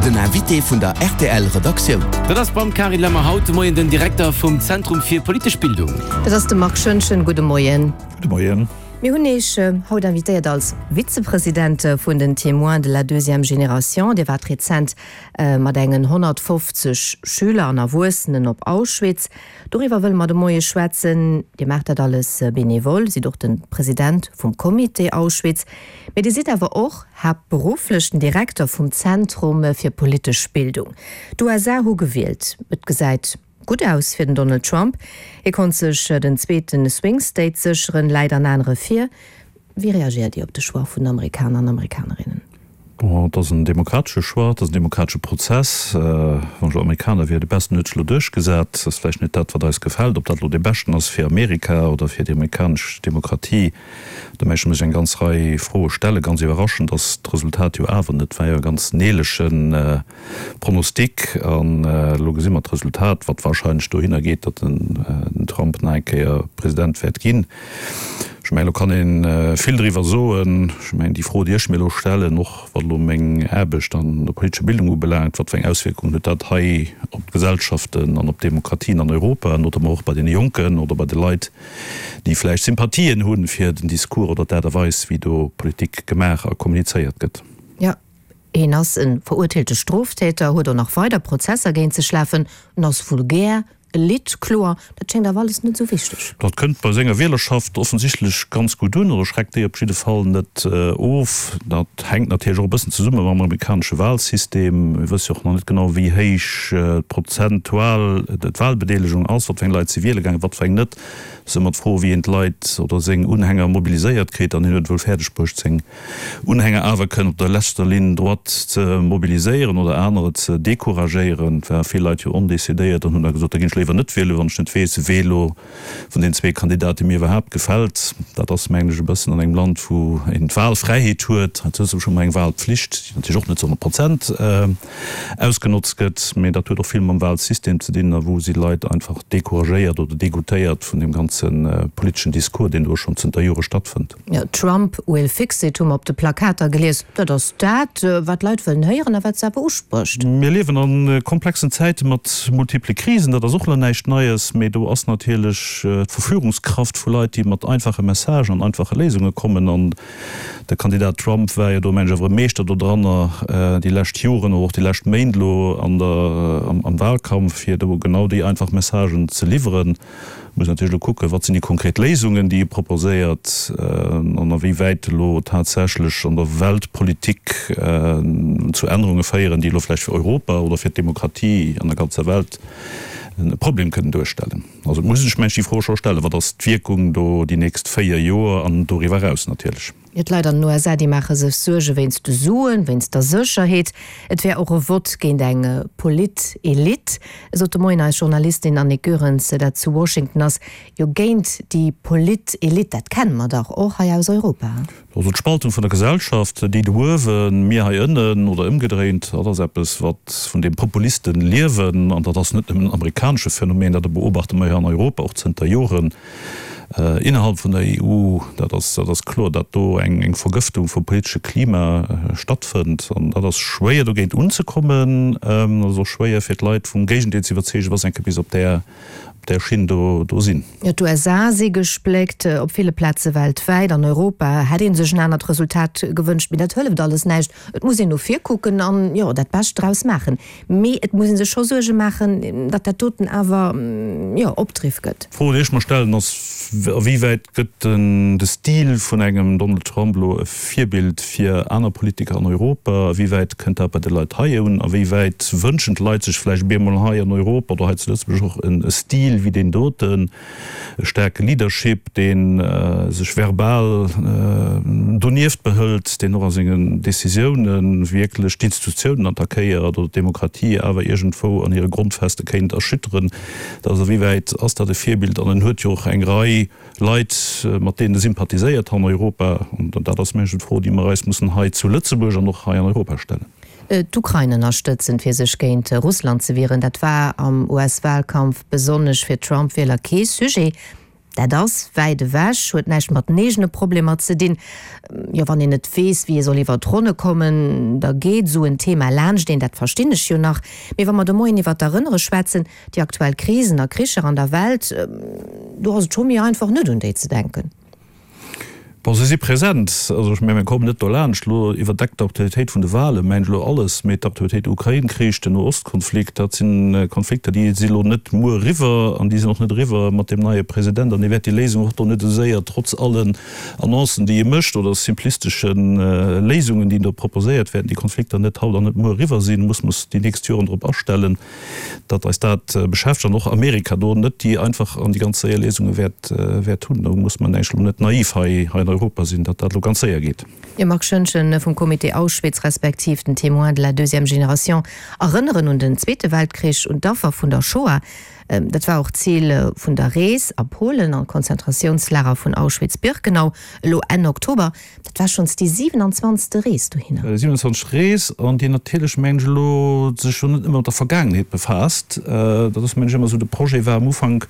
Den Invité vun der rtl Redaktioun. Dat ass beim Carine Lemmer haut de Moien den Direkter vum Zentrum fir politesch Bildung. Dat ass de Marc Schoentgen. Gudde Moien. Gudde Moien. Mir hunn Iech haut invitéiert als Vizepresident vun den Témoins de la deuxième génération. Dir waart rezent mat engen 150 Schüler an Erwuessenen op Auschwitz. Doriwwer wëlle mer de Moie schwätzen. Dir maacht dat alles benevol, sidd och de President vum Comité Auschwitz, mee Dir sidd awer och haaptberufflech den Direkter vum Zentrum fir politesch Bildung. D'USA hu gewielt. Et gesäit gutt aus fir den Donald Trump. Hie konnt sech den zweete Swing State sécheren, läit an anere vir. Wéi reagéiert Dir op de Choix vun den Amerikaner an Amerikanerinnen? Bon, et ass en demokratesche Choix, et ass en demokratesche Prozess. Wann ech elo Amerikaner wier, de Besten huet sech elo duerchgesat. Dat ass vläicht net dat, wat eis gefält. Ob dat elo dee Beschten ass fir Amerika oder fir déi amerikanesch Demokratie, do mécht ee sech eng ganz Rei Froe stellen. Ganz iwwerraschend ass d'Resultat jo awer net. War jo e ganz neelege Pronostic. An elo gesi mer d'Resultat, wat wahrscheinlech dohinner geet, datt den Trump nach eng Kéier President wäert ginn. Ech mengen, do kann ee vill driwwer soen. Ech mengen, déi Fro, déi ech mir elo stellen, och wat elo meng Aarbecht an der politescher Bildung ubelaangt, wat fir eng Auswierkungen huet dat hei op d'Gesellschaften an op d'Demokratien an Europa, notamment och bei deene Jonken oder bei de Leit, déi vläicht Sympathien hu fir den Discours oder d'Aart a Weis, wéi do Politik gemaach a kommunizéiert gëtt. Jo, hien ass e verurteelte Stroftäter, huet och nach weider Prozesser géint sech lafen, en ass vulgär, E Lidd, kloer, dat schéngt awer alles net esou wichteg. Dat kënnt bei senger Wielerschaft offensichtlech ganz gutt un, oder schreckt déi op jidde Fall net of. Dat hänkt natierlech och e bëssen zesumme mam amerikanesche Walsystem. Mir wësse jo och nach net genau, wéi héich prozentual d'Walbedeelegung ass, wat fir eng Leit si wiele gaangen, wat fir eng net. Et ass ëmmer d'Fro, wéi een d'Leit oder seng Unhänger mobiliséiert kritt. An hien huet et wuel fäerdeg bruecht, seng Unhänger awer kënnen op der leschter Ligne droite ze mobiliséieren oder anerer ze decouragéieren. Et ware vill Leit jo ondecidéiert an hunn da gesot, da ginn ech léiwer net wielen, wann ech net weess, wee elo vun den zwee Kandidate mir iwwerhaapt gefält. Dat ass, mengen ech, e bëssen an engem Land, wou een d'Wahlfräiheet huet, hei zu Lëtzebuerg hu mer eng Wahlpflicht, déi natierlech och net zu 100 Prozent ausgenotzt gëtt, mee dat huet och vill mam Wahlsystem ze dinn a wou si Leit einfach decouragéiert oder degoutéiert vun deem ganze politeschen Discours, deen do schonn zënter Jore stattfënnt. Jo, Trump will fix it hu mer op de Plakater gelies. Dat ass dat, wat d'Leit wëllen héieren a wat se awer usprécht. Mir liewen a komplexen Zäite mat multiple Krisen. Dat ass och elo näischt Neies, mee do ass natierlech d'Verführungskraft vu Leit, déi mat einfache Messagen an einfache Léisunge kommen. An de Kandidat Trump war jo do, mengen ech, awer e Meeschter dodranner déi lescht Joren oder och déi lescht Méint elo an der, am Wahlkampf, fir do genau déi einfach Messagen ze liwweren. Muss natierlech elo kucken, wat sinn déi konkret Léisungen, déi e proposéiert an a wéi wäit elo tatsächlech an der Weltpolitik zu Ännerunge féieren, déi elo vläicht fir Europa oder fir d'Demokratie an der ganzer Welt e Problem kënnen duerstellen. Also et muss ee sech, mengen ech, déi Fro scho stellen, Wat ass d'Wierkung do déi nächst 4 Joer an doriwwer eraus natierlech? Jo, d'Leit an den USA, déi maache sech Suerge wéinst de Suen, wéinst der Sécherheet. Et wär och e Vott géint eng Polit-Elite, sot de Moien eis Journalistin Annick Goerens, dat zu Washington ass. Jo, géint déi Polit-Elite, dat kenne mer dach och hei aus Europa. Also d'Spaltung vun der Gesellschaft, déi do uewen, mir hei ënnen, oder ëmgedréint, dat ass eppes, wat vun deem Populisten liewen. An dat ass net nëmmen en amerikanesche Phänomen, dat beobachte mer jo an Europa och zënter Joren. Innerhalb vun der EU, dat ass, dat ass kloer, datt do eng, eng Vergëftung vum politesche Klima stattfënnt. An dat ass schwéier dogéint unzekommen. Dat ass och schwéier fir d'Leit vum Géigendeel ze iwwerzeegen, wa se eng Kéier bis op där, op där Schinn do, do sinn. Jo, d'USA si gespléckt, op ville Plaze weltwäit. An Europa hätt ee sech en anert Resultat gewënscht, mee dat hëlleft alles näischt. Et muss een no vir kucken an, jo, dat Bescht draus maachen. Mee et muss ee sech scho Suerge maachen, datt dat doten awer, jo, Opdriff gëtt. D'Fro, déi ech mer stellen, ass, A wéi wäit gëtt de Stil vun engem Donald Trump elo e Virbild fir aner Politiker an Europa? A wéi wäit kënnt dat bei de Leit hei un? A wéi wäit wënschen d'Leit sech vläicht op eemol hei an Europa oder hei zu Lëtzebuerg och e Stil wéi deen doten? E staarke Leadership, dee sech verbal donieft behëlt, deen och a sengen Decisioune wierklech d'Institutiounen attackéiert oder d'Demokratie awer iergendwou an hire Grondfeste kéint erschütteren. Dat ass, awéiwäit ass dat e Virbild? An en huet jo och eng Rei Leit, mat deenen e sympathiséiert an Europa. An dat ass, mengen ech, d'Fro, déi mer eis mussen hei zu Lëtzebuerg an och hei an Europa stellen. D'Ukrain ënnerstëtzen, fir sech géint Russland ze wieren, dat war am US-Walkampf besonnesch fir d'Trump-Wieler kee Sujet. Dat ass wäit ewech, huet näischt mat den eegene Problemer ze dinn. Jo, wann een net weess, wéi ee soll iwwer d'Ronne kommen, da geet esou en Thema laanscht een, dat verstinn ech jo nach. Mee wa mer de Moien iwwer d'Erënnere schwätzen, déi aktuell Krisen a Kricher an der Welt, do ass et scho méi einfach, net un déi ze denken. Bon, se si present. Also ech mengen, mir kommen net dolaanscht. Elo iwwerdeckt d'Aktualitéit vun de Wahlen, mengen ech, elo alles, mee d'Aktualitéit Ukrain-Krich, den No-Ost-Konflikt, dat si Konflikter, déi si elo net muer eriwwer an déi sinn och net eriwwer mat deem neie President an dee wäert déi Léisung och do net esou séier, trotz allen Annoncen, déi e mécht oder simplistesche Léisungen, déi do proposéiert, wäerten déi Konflikter net haut an net muer eriwwer sinn. Muss mer déi nächst Joren drop astellen. datt eis dat beschäftegt an och Amerika do net déi einfach an déi ganz séier Léisunge wäert wäert hunn. Do muss mer näischt elo net naiv hei hei an Europa sinn, datt dat elo ganz séier geet. Jo, Marc Schoentgen vum Comité Auschwitz respektiv den Témoins de la deuxième génération erënneren un den Zweete Weltkrich, un d'Affer vun der Shoah. Dat war och d'Zil vun der Rees a Polen an d'Konzentratiounslager vun Auschwitz-Birkenau elo Enn Oktober. Dat war schonns déi 27. Rees dohinner. Déi 27. Rees, an déi natierlech, mengen ech elo, sech jo net nëmme mat der Vergaangenheet befaasst. Dat ass, mengen ech, ëmmer esou de Projet war am Ufank,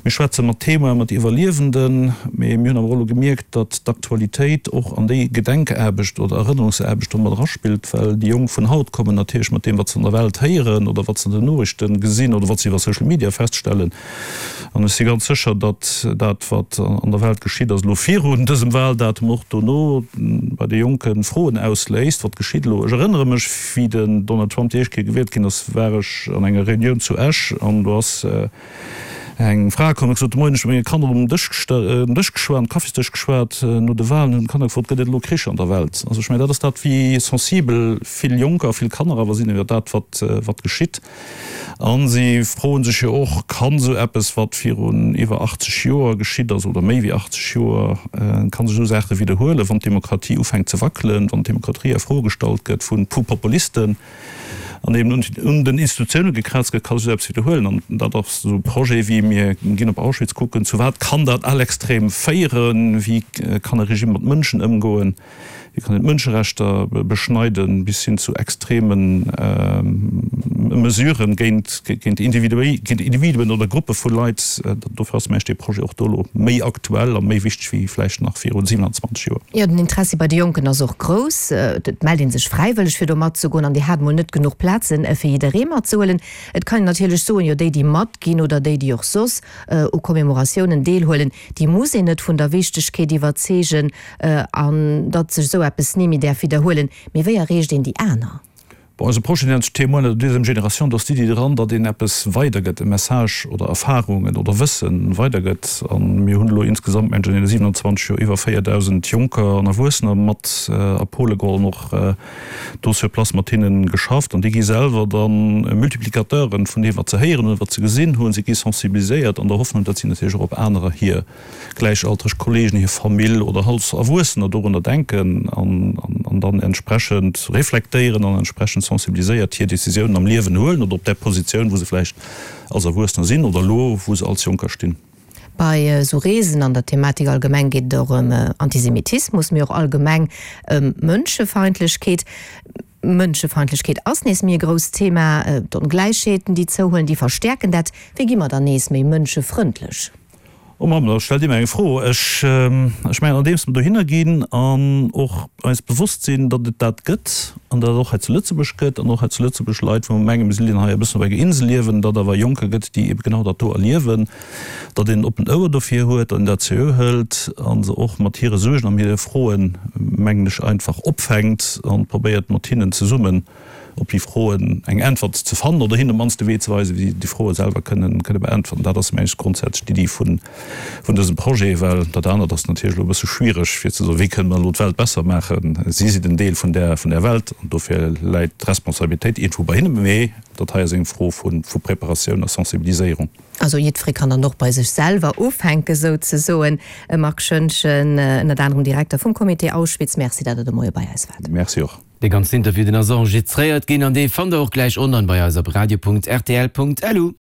mir schwätze mat Témoinen, mat Iwwerliewenden, mee mir hunn awer och elo gemierkt, datt d'Aktualitéit och an déi Gedenkaarbecht oder Erënnerungsaarbecht do mat eraspillt, well déi Jonk vun haut kommen natierlech mat deem, wat se an der Welt héieren oder wat se an den Noriichte gesinn oder wat se iwwer Social Media feststellen, An ech si ganz sécher, datt dat, wat an der Welt geschitt ass, elo virun dësem Wahldatum, och dono bei de Jonke Froen ausléist, Wat geschitt elo? Ech erënnere mech, wéi den Donald Trump déi éischt Kéier gewielt ginn ass, war ech an enger Reunioun zu Esch an do ass eng Fra komm an huet gesot, De Moien, ech hu mat menge Kanner um Dësch um Dësch geschwat, um Kaffisdësch geschwat no de Wahlen, hunn d'Kanner gefrot, Gëtt et elo Krich an der Welt? Also ech mengen, dat ass dat, wéi sensibel vill Jonker a vill Kanner awer sinn iwwer dat, wat wat geschitt. A si froe sech jo och, Kann esou eppes, wat virun iwwer 80 Joer geschitt ass, oder méi wéi 80 Joer, kann sech esou Saache widderhuelen, wann d'Demokratie ufänkt ze wackelen, wann d'Demokratie a Fro gestallt gëtt vu Populisten an eben un den Institutioune gekraazt gëtt, ka sech esou eppes widderhuelen? An dat ass esou e Projet wéi, mir ginn op Auschwitz kucken, zu wat kann dat à l'extrême féieren, wéi kann e Regime mat Mënschen ëmgoen? Wéi kann een d'Mënscherechter beschneiden, bis hin zu extreme Mesuren géint Individuen oder Gruppe vu Leit. Dofir ass, mengen ech, dee Projet och do elo méi aktuell a méi wichteg wéi vläicht nach viru 27 Joer. Jo, den Interessi bei de Jonken ass och grouss. Et mellt ee sech fräiwëlleg fir do matzegoen an Dir hat mol net genuch Plazen, fir jidderee matzehuelen. Et kann een natierlech soen, jo déi, déi matginn oder déi, déi och soss u Commemoratiounen deelhuelen, déi muss een net vun der Wichtegkeet iwwerzeegen. An datt sech esou eppes ni méi däerf widderhuelen. Mee wéi erreecht een déi aner? Bon, eise Projet nennt sech Témoins de la deuxième génération. Do ass d'Iddi dran, datt een eppes weidergëtt, e Message oder Erfarungen oder Wësse weidergëtt. A mir hunn elo insgesamt, mengen ech, an deene 27 Joer iwwer 4.000 Jonker an Erwuessener mat a Pole geholl an och do sur place mat hinne geschafft. An déi gi selwer da Multiplicateuren vun deem, wat se héieren hunn, wat se gesinn hunn. Si gi sensibiliséiert an der Hoffnung, datt si natierlech och op anerer hir gläichaltreg Kollegen, hir Famill oder als Erwuessener dorunner denken an dann entsprechend reflektéieren an entsprechend sensibiliséiert hir Décisiounen am Liewen huelen oder op där Positioun, wou se vläicht als Erwuessener sinn oder elo, wou se als Jonker stinn. Bei esou Reesen an der Thematik allgemeng geet et och ëm Antisemitismus, mee och allgemeng ëm Mënschefeindlechkeet. Mënschefeindlechkeet ass nees méi e grousst Thema. D'Ongläichheeten, déi zouhuelen, déi verstäerken dat. Wéi gi mer dann nees méi mënschefrëndlech? Oh Mamm, da stellt Dir mir eng Fro. Ech, ech mengen, andeems mer dohinner ginn an och eis bewosst sinn, datt et dat gëtt an datt et och hei zu Lëtzebuerg gëtt an och hei zu Lëtzebuerg Leit, wou mer mengen, mir sinn hei e bëssen op enger Insel liewen, datt awer Jonker gëtt, déi ebe genau dat do erliewen, datt een en oppent Ouer dofir huet, datt een dat seriö hëlt a se och mat hire Suergen an hire Froen, mengen ech, einfach opfänkt an probéiert mat hinnen zesummen op déi Froen eng Äntwert ze fannen oder hinnen op d'mannst de Wee ze weisen, wéi si déi Froe selwer kënnen beäntwerten. Dat ass, mengen ech, grondsätzlech d'Iddi vun dësem Projet, well dat anert ass natierlech elo e bësse schwiereg, fir ze soen, wéi kënne mer elo d'Welt besser maachen. Si sinn en Deel vun där Welt an dofir läit d'Responsabilitéit iergendwou bei hinnen. Mee dat hei ass eng Fro vu Preparatioun a Sensibiliséierung. Also jiddweree kann dann och bei sech selwer ufänken, souzesoen. Marc Schoentgen, ënnert anerem Direkter vum Comité Auschwitz, Merci, datt Der de Moie bei eis waart. Merci och. Dee ganzen Interview, deen ass enregistréiert ginn an dee fannt der och gläich online bei eis op radio.rtl.lu.